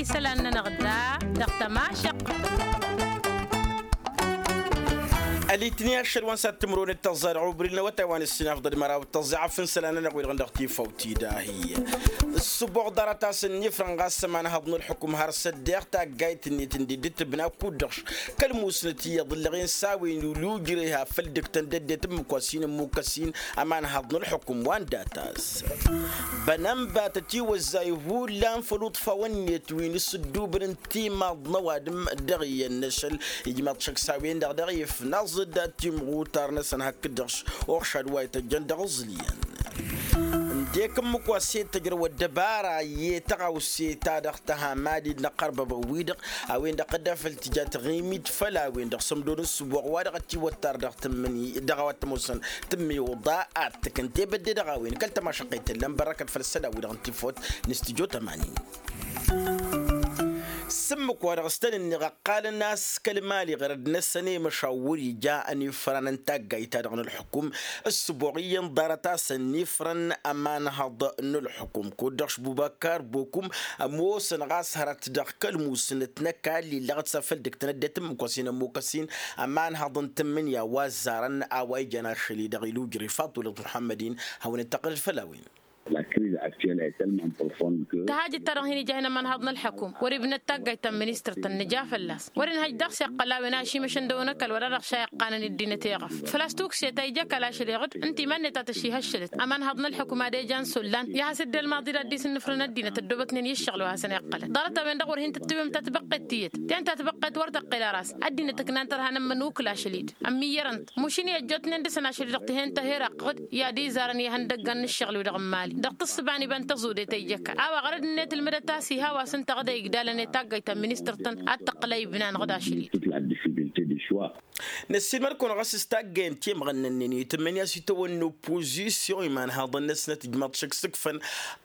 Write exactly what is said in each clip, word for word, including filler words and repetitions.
isălan-nănăɣ da dăɣ-tămašăq. Ălitni ašăl wa n-sat timǝrwen d-tăẓẓa dăɣ-ubri n-awătay wa n-ǝssinafḍăd măraw d-tăẓẓa afǝn isălan-nănăɣ wi-dăɣ n-dăɣ tifawt-i dahi. Ǝssǝboɣ ḍarăt-as ănnifrăn ɣas ămanhăḍ n-ălḥukǝm har s-ăddeeɣ taggayt-net ǝndi dd-tǝbna kud-dăɣ. Kăl-musnăt iyyăḍ ǝllăɣen s-a-wen ul' ujrăy ha făl dăgg-tăn d-ăddinăt ǝmmǝk wa s-hin-ǝmmukăs-in ămanhăḍ n-ălḥukǝm wa n-dat-as. Bănănba tătiwăzzay hullan făll-uṭfawăn-net wi n-asǝddubǝn n-timaḍ n-ăwadǝm dăɣ-iyyăn n-ašăl ijmaḍ šăkk s-a-wen-dăɣ dăɣ-ifnaẓ-dd timɣutar-năsăn hakd-dăɣ s-uɣšad wa ităjjăn dăɣ-aẓǝlyan. Ǝndek ǝmmǝk wa s-e-tăjrăw ăddăbara i-tăɣawse ta dăɣ-tăhamadit n-ăqqărbăbăn-wi-dăɣ a-wen-dăɣ tădda făll-tǝja taɣimit făll-a-wen-dăɣ sămdo n-ǝssǝboɣ wa dăɣ-ătiwăttar dăɣ-tǝmmǝni dăɣ-a-wa t-ămoosăn tǝmmiwǝḍa ad-tǝkǝnte bădde dăɣ-a-wen kăl-tămašăqqăy tăllăm bărrăkăt făll-isălan-wi-dăɣ n-tifot n-studyo tămanin. S-ǝmmǝk-wa-dăɣ s-tăn-ǝnneɣ ăqqalăn a-s kăl-mali ɣărăd-năsăn i-măšawwăr ija ănifran n-taggayt-ta-dăɣ n-ălḥukum. Ǝssǝboɣ iyyăn ḍarăt-as ănifrăn ămanhăḍ n-ălḥukum kud-dăɣ šbubăkkar bokum ămoosăn ɣas hărăt dăɣ-kăl-musǝnăt n-ăkall illăɣ-t s-afăl dăgg-tăn ăddinăt ǝmmǝk wa s-hin-ămmukăs-in ămanhăḍ n-tǝmmǝnǝya wa ăzzarăn a-wa ijan ašăl-i-dăɣ ilujrăy faṭulăt muḥămmăd-in. Hawăn-dd-tăqqǝlăd făll-a-wen. Tăhajăt-ta-dăɣ hin-ija hin-ămanhăḍ n-ălḥăkum wăr-ibnăt taggayt ta n-ministăr-tăn nǝja fălla-s wăr-inhăj daɣ s-iqqăl a-wen ašimăšăn dăɣ-wăn ăkall wa dăɣ-dăɣ šayyăqqanăn ăddinăt iɣăf făl-a-s tukse ta ija ăkall ašăl iɣǝd ǝnta iman-net a tăšihăššălăt ămanhăḍ n-ălḥăkum ad-ejan s-ollan i-ad-has-dd-ălmaḍi d-ad-dd-isǝnnǝfrǝn ăddinăt ăddoobătnen i-ǝššăɣǝl wa hasăn-iqqălăn ḍarăt-a-wen-dăɣ wăr hin-tǝttǝwǝm tatbăqqet tiyyăt. Ten tatbăqqet wăr tăqqel ara a-s ăddinăt ǝknan tărha n-ămmǝn ukǝl ašăl-i-dăɣ ămmiyyărăn-t mušǝn i-ăjjootnen dăɣ-săn ašăl-i-dăɣ tǝhen tăhher ăqqăɣ-dd i-ad-izarăn ihăndăggan n-ǝššăɣǝl-wi-dăɣ n-imali dăɣ-tǝssǝba n-iba n-tăẓude ta ija ăkall a-wa ɣărăd-net ǝlmǝdăt a-s iha wa s-ǝnta ɣǝd a igdalăn i-taggayt ta n-ministăr-tăn ad-tăqqǝl a ibna-năɣ d-ašăl-i-dăɣ. Năssiilmăd-kăwăn ɣas s-taggayăn timɣănnănnen itǝmmǝn i-ad-s itawănna oppozisyon imanhaḍăn-năsnăt ijmaḍ šăkk s-ǝkfăn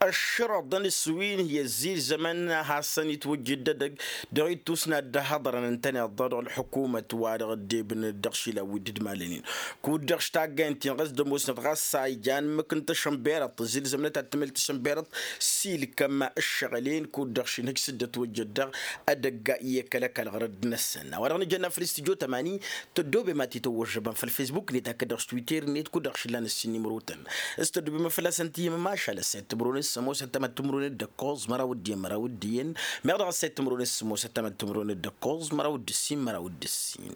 ăššărăḍăn s-wi n-hi-ăzzilzămăn a hasăn-itwăjjǝd edăgg dăɣ-ittus n-ad-dd-ăhhăḍărăn ǝntăneḍ-dăɣ dăɣ-ălḥukumăt wa dăɣ-ăddebǝn dăɣ-išilan wi dd-malănen. Kud-dăɣ s-taggayăn-ten ɣas d-ămoosnăt ɣas a ijan ǝmmǝk n-tăšănberăḍt ǝzzilzămnăt ad-tǝmǝl tăšănberăḍt s-ilkăm ǝššăɣǝl-en kud-dăɣ šinhǝj s-dd-ătwăjjăd dăɣ-edăgg i-kăl-ăkall ɣărădd-năsăn a-wa dăɣ-nǝjănna făll-istudyo tămani. Tăddoobem ad-t-tăwwăžžăbăm făll-fesbuk-net hakd dăɣ-s twitter-net kud-dăɣ šǝllan ǝssin imrotăn s-tăddoobem fălla-săn tihimăm ašăl ăssayăt timǝrwen s-sămoos ăttămăt timǝrwen d-ǝkkoẓ măraw d-iyyăn măraw d-iyyăn. Meɣ dăɣ-ăssayăt timǝrwen s-sămoos ăttămăt timǝrwen d-ǝkkoẓ măraw d-ǝssin măraw d-ǝssin.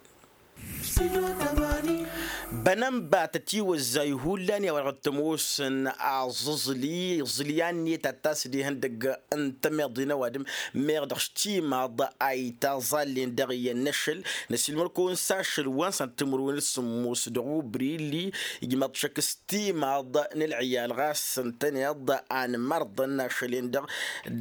Bănănba tătiwăzzay hullan i-a-wa dăɣ-t-ămoosăn aẓǝẓli iẓǝlyan-net ad-t-asǝd ihăndăgg n-tămeḍe n-ăwadǝm. Meɣ dăɣ-s timaḍ a itaẓallen dăɣ-iyyăn n-ašăl. Năsilmăr-kăwăn s-ašăl wa n-săn timǝrwen d-sǝmmos dăɣ-ubri illi ijmaḍ šăkk s-timaḍ n-ălɣiyal ɣas ǝntăneḍ a n-imărḍăn ašăl-en-dăɣ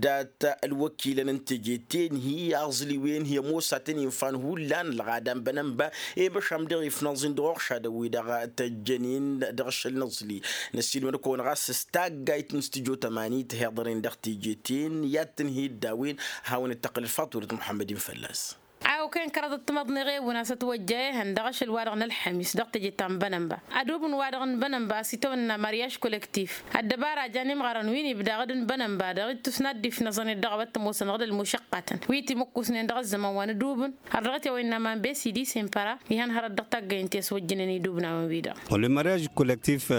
dat-ălwăkilăn n-teje-ten-hi aẓǝl-i-wen-hi ămoos ad-tăn-infan hullan ălɣada n-bănănba. I-măšan dăɣ-ifnăẓ-in dăɣ-uɣšadăn-wi-dăɣ tăjjăn-in dăɣ-ašăl n-aẓǝl-i. Năssiilmăd-kăwăn ɣas s-taggayt n-studyo tămani tǝhiḍăr-in dăɣ-teje-ten i-ad-tǝnhǝy dd-a-wen. Hawăn-dd-tăqqǝlăd faṭulăt muḥămmăd-in fălla-s. A okăyăn kăraḍăt timăḍneɣ ewǝn a-s ătwăjja ehăn dăɣ-ašăl-wa-dăɣ n-ălxămis dăɣ-teje ta n-bănănba. Adubǝn-wa-dăɣ n-bănănba a-s itawănna maryaj kolektif. Ăddăbara a jan imɣarăn wi n-ibda ɣǝd n-bănănba dăɣ-ittus n-ad-dd-ifnăẓăn-dd dăɣ-a-wa t-ămoosăn ɣǝd ălmušăqqatăn wi timǝkkusnen dăɣ-ăzzăman wa n-adubǝn. Har dăɣ-t i-a-wa innă aman besidi sempăra ihăn hărăt dăɣ-taggăyăn ti ăswăjjǝnen idubnawen-wi-dăɣ. Wăla maryaj kolektif.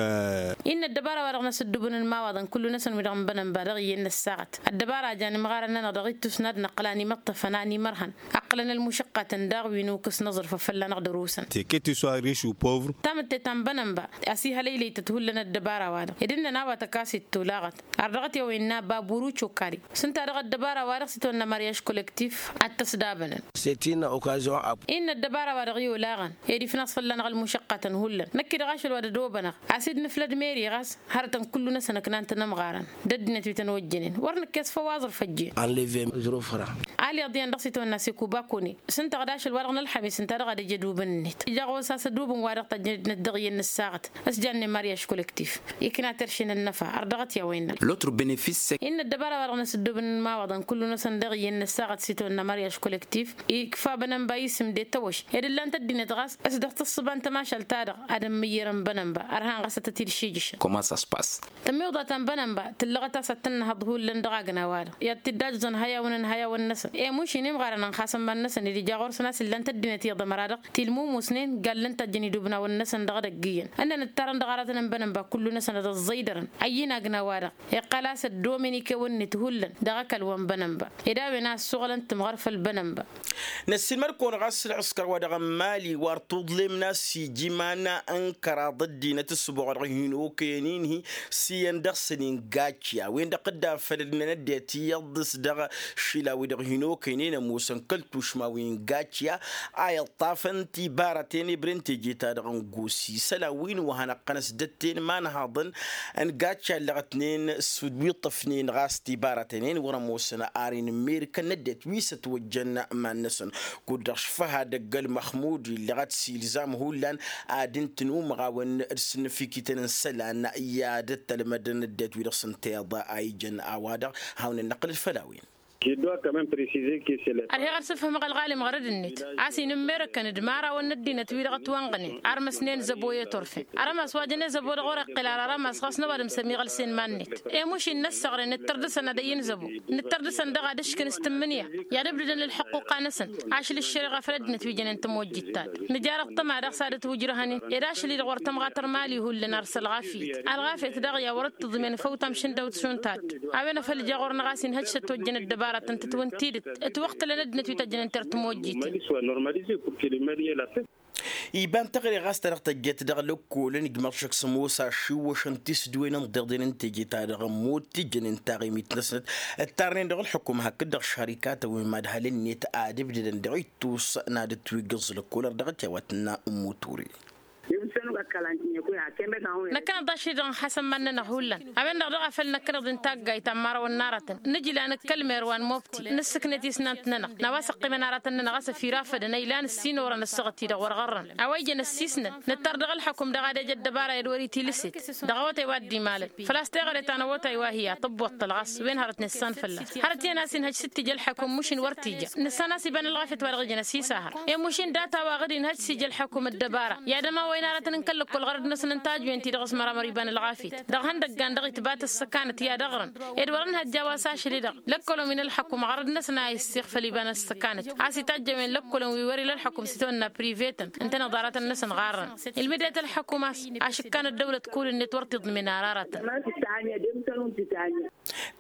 Innă ăddăbara-wa-dăɣ n-asǝddubǝn n-imawaḍăn kullu-năsăn wi-dăɣ n-bănănba dăɣ-iyyăn n-ăssaɣăt. Ăddăbara a jan imɣarăn-nănăɣ dăɣ-ittus n-ad-năqqǝl animăṭṭăfăn animărhăn. Ăqqǝlăn ălmušăqqatăn daɣ wi n-ukǝs n-aẓrǝf a fălla-năɣ dăr-osăn. Teket iswa riš u povr. Tamǝtte ta n-bănănba a-s ihălăylăy-tăt hullan ăddăbara-wa-dăɣ ed ǝnnăn a-wa tăkasit tolaɣăt. Ar dăɣ-t i-a-wa innă baburu cokari s-ǝnta-dăɣ ăddăbara-wa-dăɣ s-itwănna maryaj kolektif. Ad-t-ăsdabănăn. Săt-innă okazyon. Innă ăddăbara-wa-dăɣ i-olaɣăn ed ifnaẓ fălla-năɣ ălmušăqqatăn hullan năkk-i-dăɣ ašăl wa d-ădobănăɣ. A-s dd-nǝflăd meri ɣas hărătăn kullu-năsăn ǝknan-tăn ămɣarăn. D-ăddinăt wi tăn-ojjănen wăr nǝkkes făw aẓrǝf ăjjeen. Anlevem zrofra. Aliḍ iyyăn dăɣ-s itwănna sekubakone. S-ǝnta ɣǝd ašăl wa-dăɣ n-ălxămis ǝnta-dăɣ ad-ǝjj ădubǝn-net ija ɣur-s a-s ădubǝn wa-dăɣ tăjjănăt-năt dăɣ-iyyăn n-ăssaɣăt s-jannen mariaž kolektif. Ikna terše n-ănnăfa ărdăɣăt i-a-wa innă. L'autre benefice innă ăddăbara wa-dăɣ n-asǝddubǝn n-imawaḍăn kullu-năsăn dăɣ-iyyăn n-ăssaɣăt s-itawănna mariaž kolektif. Ikfa bănănba isǝm d-etăwăš ed ǝllan-t ăddinăt ɣas s-dăɣ-tǝssǝba n-tămašalt-ta-dăɣ ad-ămmǝyyărăn bănănba ărhan ɣas ad-tăt-dd-šijǝšăn. Comment ça se passe? Tămmiwḍa ta n-bănănba tǝllăɣăt a-s ad-tăn-nǝhăḍ hullan dăɣ-agna-wa-dăɣ i-ad-t-dd-ajǝẓăn ihăyawăn n-ihăyawăn-năsăn. Emuš-in imɣarăn ănxasăn iman-năsăn ed ija ɣur-săn a-s ǝllan-t ăddinăt iyyăḍ ămăra-dăɣ tilmumusnen gallăn-t a ǝjjăn idubnawen-năsăn dăɣ-edăgg iyyăn. Ǝnnăn ǝttarăn dăɣ-aratăn n-bănănba kullu-năsăn ad-ăẓẓăydărăn ăyy n-agna-wa-dăɣ iqqăl a-s ăddomen ikewăn-net hullan dăɣ-ăkall wa n-bănănba. Ed a-wen a ăssuɣǝlăn timɣăr făll-bănănba. Năssiilmăd-kăwăn ɣas ǝlxǝskăr wa dăɣ-n mali wăr tuḍlem n-a-s iji iman n-kăraḍ ăddinăt ǝssǝboɣ dăɣ-hin-okăyăn-in-hi s-iyyăn dăɣ-săn ingacciya-wen-dăɣ dd-afăl ădmăn ăddinăt iyyăḍ s-dăɣ-išilaw-i-dăɣ hin-okăynen ămoosăn kăl-tušma wi n-gacciya a iṭṭafăn tibarăten ibren teje-ta-dăɣ n-gosi isălan wi n-wa hanăɣ-tăn-ăsdătten imanhaḍăn n-gacciya ǝllăɣătnen s-wi ǝṭṭăfnen ɣas tibarăten-en wăr-ămoosăn ar inǝmmerǝkăn n-ăddinăt wi s-ătwăjjăn iman-năsăn. Kud-dăɣ šfăha dăgg-ălmăxmud illăɣăt s-ilzam hullan ad-ǝntǝn umăɣawăn d-sǝnnǝfikităn n-isălan i-ad-ăttălmădăn ăddinăt wi dăɣ-s ǝnta iyyăḍ a ijăn a-wa-dăɣ. Hawăn-ănnăqqǝlăd făll-a-wen. Ădhiɣ ad-sǝfhǝmăɣ ălɣalim ɣărăd-net a-s inǝmmerăkăn d-imărawăn n-ăddinăt-wi-dăɣ ătwănɣănen armăsnen zăbo i-turfen. Arămas wa jăn i-zăbo-dăɣ wăr-iqqǝl ar arămas ɣas n-ăwadǝm s-ămiɣălsen iman-net. Emuš-in năssăɣre nǝttăr dăɣ-săn ad-ăyy n-zăbo nǝttăr dăɣ-săn daɣ ad-ǝškǝn s-tǝmmǝnǝya i-ad-ǝbdǝdăn ălxăqquqa-năsăn. Ašăl ǝššăriɣa făll-ăddinăt wi jănen tămojjit-ta-dăɣ nǝjar ăṭṭăma daɣ s-ad-ătwǝjrăhăn-in ed ašăl-i-dăɣ wăr tămɣatăr mali hullan ar s-ălɣafyăt. Ălɣafyăt daɣ i-a wăr-dd-tǝḍmen făw tamšǝndăwt šund ta-dd. A-wen a făl ija ɣur-năɣ a-s inhăj s-ătwăjjăn ăddăbarătăn tǝtwǝn tidǝt ǝtwăqtǝlăn ăddinăt wi tăjjănen tertǝmojjiten. Iba n-teɣăre ɣas ta dăɣ-tăjjăt dăɣ-lăkkolăn ijmăḍ šăkk s-ămoos ašiwwăšăn tisdǝwen n-iḍeḍen n-teje-ta-dăɣ ămmut tijjănen taɣimit-năsnăt ǝttarnen dăɣ-ǝlxǝkum hakd-dăɣ šarikatăn wi n-imadhal-net ad-ǝbdǝdăn dăɣ-ittus n-ad-ǝtwǝggǝẓ lăkkol ărdăɣăt i-a-wa tǝnna ǝmmut ture. Năkkăneḍ ašăl-i-dăɣ n-hasăn iman-nănăɣ hullan. A-wen-dăɣ daɣ a făl năkkăneḍ-in taggayt ta n-imărawăn n-aratăn nǝjla nǝkkăl mer wa n-mobti nǝssǝknet isnant-nănăɣ n-a-wa s-ăqqimăn aratăn-nănăɣ a-s ăfirafădăn a ilan ǝssin orăn ăssaɣăt-i-dăɣ wăr ɣărrăn. A-wa ijăn ăssiisnăn nǝttăr dăɣ-ălxăkum daɣ ad-ej ăddăbara ed wăr-itilǝset dăɣ-awătay wa dd-imalăn. Făl-a-s teɣăre ta n-awătay wa hi-a tǝbbuṭṭăl ɣas wen hărăt nǝssan fălla-s hărăt iyyăn a-s inhăj s-t-ija ălxăkum mušin wăr t-ija. Nǝssan a-s iba n-ălɣafyăt wa dăɣ-ijăn ăsisahăr i-mušin data wa ɣǝd inhăj s-ija ălxăkum ăddăbara. I-ad-ămawăyăn aratăn n-kăl-lăkkol ɣărăd-năsăn n-tajwen-ti-dăɣ s-măramăr iba n-ălɣafyăt dăɣ-ihăndăggan dăɣ-itbat ăssăkanăt i-ad-ăɣrăn. Ed wăr-ănhăjja a-wa s-ašăl-i-dăɣ lăkkolăn wi n-ălxăkum ɣărăd-năsăn a issiɣ făll-iba n-ăssăkanăt a-s itajjăwen lăkkolăn wi wăr-ila ălxăkum s-itawănna privetăn ǝntăneḍ aratăn-năsăn ɣarrăn. Ilmǝdet ălxăkum a-s ašǝkkan ăddăwlăt kul-net wăr t-iḍmǝn ara aratăn.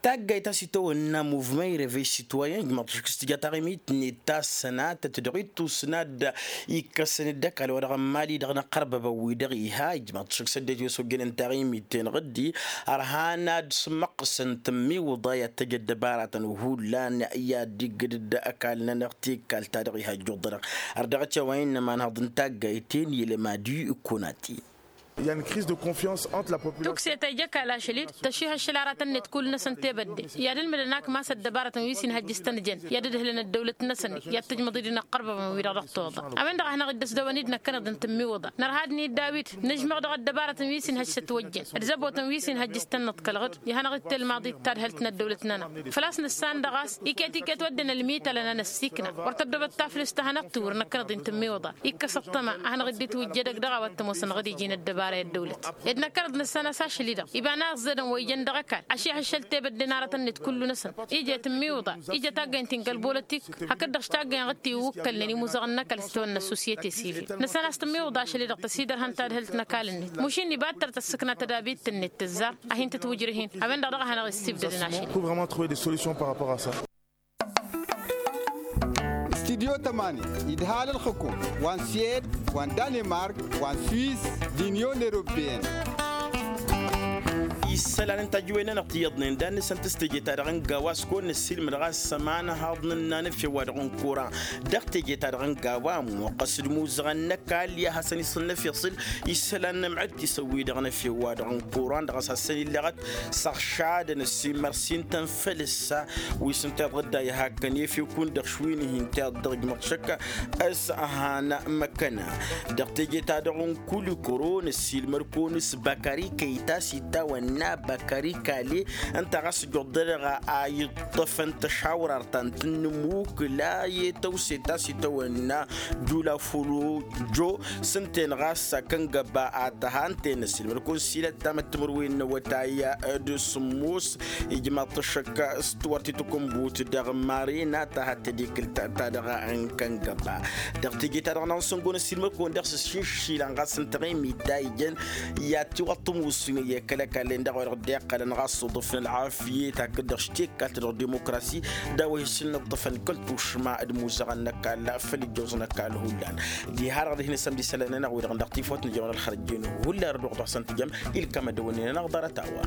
Taggayt a-s itawănna muvmay revej sitwayen ijmăḍ šik s-tǝja taɣimit-net ta s-sănatăt dăɣ-ittus n-ad-ikkăsăn d-ăkall wa dăɣ-n mali-dăɣ n-ăqqărbăbăn wi-dăɣ iha ijmăḍ šik s-ăddinăt wi s-ojjănen taɣimit-ten ɣǝddi. Ărhan ad-sǝmmăqqǝsăn tǝmmiwǝḍa i-ad-tăj ăddăbaratăn hullan i-ad-iggǝd d-ăkall-nănăɣ tikkal-ta-dăɣ iha ăjjuḍănăɣ. Ărdăɣăt i-a-wa innă imanhăḍ n-taggayt-en i-lămad i-ikonati. Tukse ta ija ăkall ašăl-dd tăšihăššăl aratăn-net kull-năsăn tebădde i-ad-ǝlmǝdăn akmas ăddăbarătăn wi s-inhăjj s-tăn-jăn i-ad-ǝdhǝlăn ăddăwlăt-năsăn i-ad-tǝjmăḍ-dd inăqqărbăbăn-wi-dăɣ dăɣ-toḍa. A-wen-dăɣ a hanăɣ-dd-ăsdăwăn-dd năkkăneḍ d-tǝmmiwǝḍa nărha-dd n-dd-a-wi-dd nǝžmăɣ dăɣ-ăddăbarătăn wi s-inhăjj s-ătwăjjăn d-zăbotăn wi s-inhăjj s-tăn-nǝḍkălăɣ-dd. Ihănăɣ-dd telmaḍit tadhǝlt n-ăddăwlăt-nănăɣ făl-a-s nǝssan dăɣ-a-s iket-iket wădden ălmitalăn a năssiikna wăr tăddobăt taflǝst a hanăɣ-tǝwǝr năkkăneḍ-i n-tǝmmiwǝḍa. Ikkăs ăṭṭăma a hanăɣ-dd-itwǝjjădăg dăɣ-a-wa t-ămoosăn ɣǝd iji n-ăddăbara i-ăddăwlăt ed năkkăneḍ nǝssan a-s ašăl-i-dăɣ iba n-aẓẓedăn wa ijăn dăɣ-ăkall ašihăššăl tebădden aratăn-net kullu-năsăn. Ija i-tǝmmiwǝḍa ija taggăyăn ti n-kăl-bolătik hakd-dăɣ s-taggăyăn ɣǝd tiwǝkkălnen imuzăɣăn n-ăkall s-tawănna ăssosiyete sivil. Nǝssan a-s tǝmmiwǝḍa ašăl-i-dăɣ tăsidărhăn tadhǝlt n-ăkall-net mušin iba d-tăr tăssǝkna tădabit-net tǝzzar. A hin-tǝtwǝjrǝh-in a-wen-dăɣ daɣ a hanăɣ-issibdădăn ašăl-i. Studyo tămani idhal ălxǝkum wa n-siyed wa n-danemark wa n-swiss d-inyon eropeyăn. Isălan n-tajǝwen-nănăɣ ti iyyăḍnen d-ad-nǝsǝntǝs teje-ta-dăɣ n-gawa s-kăwăn-nǝssilmăd ɣas s-ămanăhaḍ n-ǝnnan efew-wa-dăɣ n-kuran. Dăɣ-teje-ta-dăɣ n-gawa ămmuqqăs d-imuzăɣăn n-ăkall i-ad-hasăn-isǝnnăf iṣǝl isălan n-amădd tisăwwi-dăɣ n-efew-wa-dăɣ n-kuran dăɣ-s hasăn-illăɣăt s-ăɣšadăn ăssimmăr s-intăn făll-ǝssa. Wi s-ǝnta iḍădda i-hakkăn efew-kăwăn-dăɣ šwin-hi ǝnta iḍădda ăjmăɣ šăkk s-ăhan măkkăna. Dăɣ-teje-ta-dăɣ n-kulikoro năssiilmăr-kăwăn s-băkări kăy-ta s-itawănna băkări kale. Ǝnta ɣas ǝjjuḍ-dăɣ a iṭṭăfăn tăšawrar ta n-tǝnnǝmukǝla i-tăwse ta s-itawănna jula fălo jo. S-ǝnta-en ɣas a kăngăba a tăha ǝnta-en ăssiilmăr-kăwăn s-ilăt tamăttămărwen n-awătay d-sǝmmos. Ijmaḍ-t ăššăk s-tiwăr ti tǝkǝnbut dăɣ-marina ta had-tădikǝlt ta dăɣ-n kăngăba. Dăɣ-teje-ta-dăɣ n-ad-săngon ăssiilmăr-kăwăn dăɣ-s ǝššǝššilăn ɣas ǝnta ɣimit ta ijăn i-ad-tiwăḍ tămusǝnăy i-kăl-ăkall-en dăɣ-a-wa dăɣ-dd-iqqălăn ɣas uḍǝf n-ălɣafyăt hakd-dăɣ s-tekkalt dăɣ-dimokrasi d-a-wa hi-s n-ǝṭṭǝfăn kăl-tušma d-imuzăɣăn n-ăkall făll-ijjoẓ n-ăkall hullan. Diha-dăɣ dihen isălan-nănăɣ wi-dăɣ n-dăɣ tifawt n-ijămăn ălxărăjjen hullan răduɣ dăɣ-săn tǝjăm. Ilkam ăddăwănnen-nănăɣ ḍarăt-a-wa.